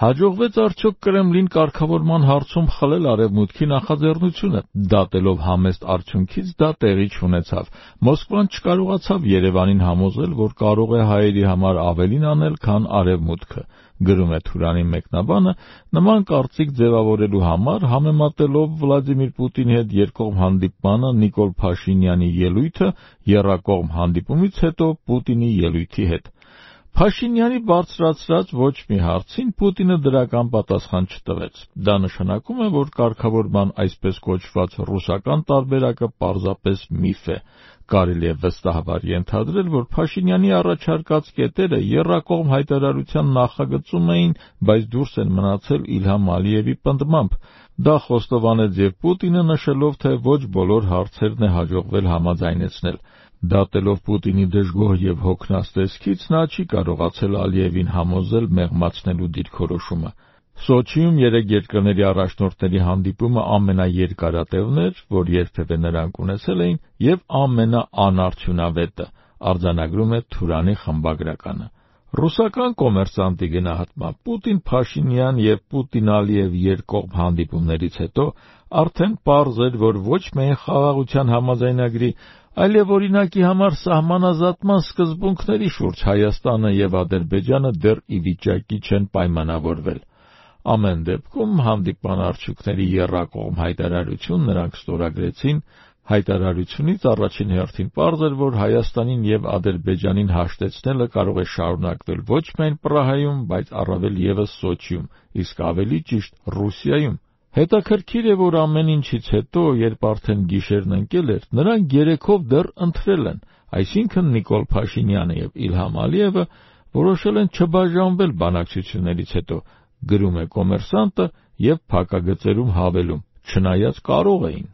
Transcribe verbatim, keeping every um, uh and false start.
Հաջողվեց արդյոք Կրեմլին կարգավորման հարցում խլել Արևմուտքի նախաձեռնությունը։ Դատելով համեստ արդյունքից դա տեղի չունեցավ։ Մոսկվան չկարողացավ Երևանին համոզել, որ կարող է հայերի համար ավելին անել, քան Արևմուտքը։ Գրում է Թուրանի մեկնաբանը, նման կարծիք ձևավորելու համար համեմատելով Վլադիմիր Պուտինի հետ երկկողմ հանդիպմանը Նիկոլ Փաշինյանի ելույթը եռակողմ հանդիպումից հետո Պուտինի ելույթի հետ։ Փաշինյանի բարձրացրած ոչ մի հարցին Պուտինը դրական պատասխան չտվեց։ Դա նշանակում է, որ կարգավորման այսպես կոչված ռուսական տարբերակը պարզապես միֆ է։ Կարելի է վստահաբար ենթադրել, որ Փաշինյանի առաջարկած կետերը եռակողմ հայտարարության նախագծում էին, բայց դուրս են մնացել Իլհամ Ալիևի պնդմամբ։ Դա խոստովանեց և Պուտինը, նշելով, թե ոչ բոլոր հարցերն է հաջողվել համաձայնեցնել։ Դատելով Պուտինի դժգոհ և հոգնած տեսքից, նա չի կարողացել Ալիևին համոզել մեղմացնելու դիրքորոշումը։ Սոչիում երեք երկրների առաջնորդների հանդիպումը ամենաերկարատևն էր, որ երբևէ նրանք ունեցել էին, և ամենաանարդյունավետը, արձանագրում է Թուրանի խմբագրականը։ Ռուսական կոմերսանտի գնահատմամբ Պուտին-Փաշինյան և Պուտին-Ալիև երկկողմ հանդիպումներից հետո արդեն պարզ էր, որ ոչ միայն խաղաղության համաձայնագրի, այլև օրինակի համար սահմանազատման սկզբունքների շուրջ Հայաստանը և Ադրբեջանը դեռ ի վիճակի չեն պայմանավորվել։ Ամեն դեպքում հանդիպման արդյունքների եռակողմ հայտարարություն նրանք ստորագրեցին։ Հայտարարությունից առաջին հերթին պարզ էր, որ Հայաստանին և Ադրբեջանին հաշտեցնելը կարող է շարունակվել ոչ միայն Պրահայում, բայց առավել ևս Սոչիում, իսկ ավելի ճիշտ Ռուսիայում։ Հետաքրքիր է, որ ամեն ինչից հետո, երբ արդեն գիշերն ընկել էր, նրանք երեքով դեռ ընթրել են, այսինքն Նիկոլ Փաշինյանը և Իլհամ Ալիևը որոշել են չբաժանվել բանակցություններից հետո, գրում է Կոմերսանտը և փակագծերում հավելում, չնայած կարող էին։